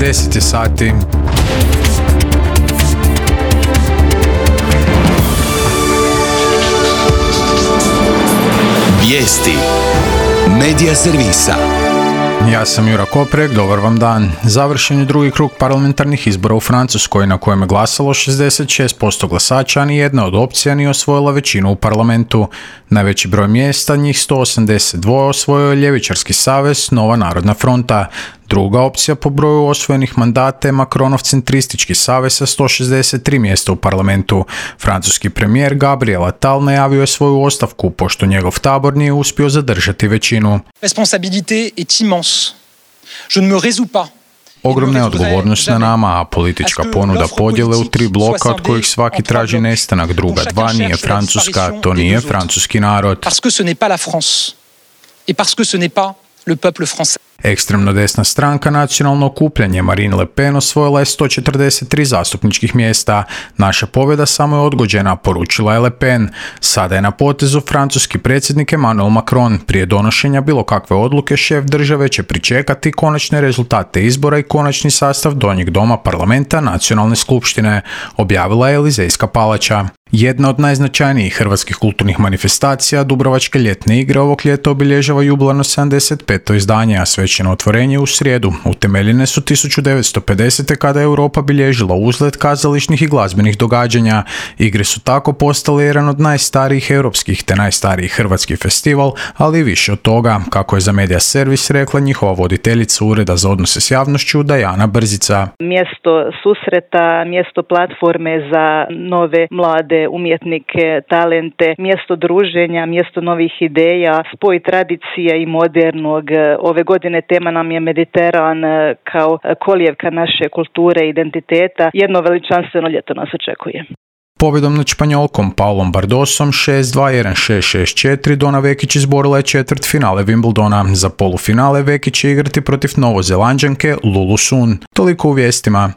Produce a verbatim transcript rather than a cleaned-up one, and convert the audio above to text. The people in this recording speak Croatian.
deset je sati. Vijesti Medija servisa. Ja sam Jura Koprek, dobar vam dan. Završen je drugi krug parlamentarnih izbora u Francuskoj na kojem je glasalo šezdeset šest posto glasača, a ni jedna od opcija nije osvojila većinu u parlamentu. Najveći broj mjesta, njih sto osamdeset dva, osvojio je ljevičarski savez Nova narodna fronta. Druga opcija po broju osvojenih mandata je Macronov centristički savez sa sto šezdeset tri mjesta u parlamentu. Francuski premijer Gabriel Attal najavio je svoju ostavku pošto njegov tabor nije uspio zadržati većinu. Responsabilité est immense. Je ne me résous pas. Ogromna je odgovornost na nama, a politička ponuda podjele u tri bloka od kojih svaki traži nestanak druga dva nije Francuska, to nije francuski narod. Parce que ce n'est pas la France. Et parce que ce n'est pas le peuple français. Ekstremno desna stranka Nacionalno okupljanje Marine Le Pen osvojila je sto četrdeset tri zastupničkih mjesta. Naša pobjeda samo je odgođena, poručila je Le Pen. Sada je na potezu francuski predsjednik Emmanuel Macron. Prije donošenja bilo kakve odluke šef države će pričekati konačne rezultate izbora i konačni sastav donjeg doma parlamenta Nacionalne skupštine, objavila je Elizejska palača. Jedna od najznačajnijih hrvatskih kulturnih manifestacija, Dubrovačke ljetne igre, ovog ljeta obilježava jubilarno sedamdeset peto izdanje, a svečano otvorenje u srijedu. Utemeljene su tisuću devetsto pedesete. kada je Europa bilježila uzlet kazališnih i glazbenih događanja. Igre su tako postale jedan od najstarijih europskih te najstarijih hrvatski festival, ali i više od toga, kako je za Medija servis rekla njihova voditeljica Ureda za odnose s javnošću Dajana Brzica. Mjesto susreta, mjesto platforme za nove mlade umjetnike, talente, mjesto druženja, mjesto novih ideja, spoj tradicije i modernog. Ove godine tema nam je Mediteran kao kolijevka naše kulture i identiteta. Jedno veličanstveno ljeto nas očekuje. Pobjedom nad Španjolkom Paulom Bardosom šest dva jedan šest šest četiri Dona Vekić izborila je četvrt finale Wimbledona. Za polufinale Vekić će igrati protiv Novozelanđanke Lulu Sun. Toliko u vijestima.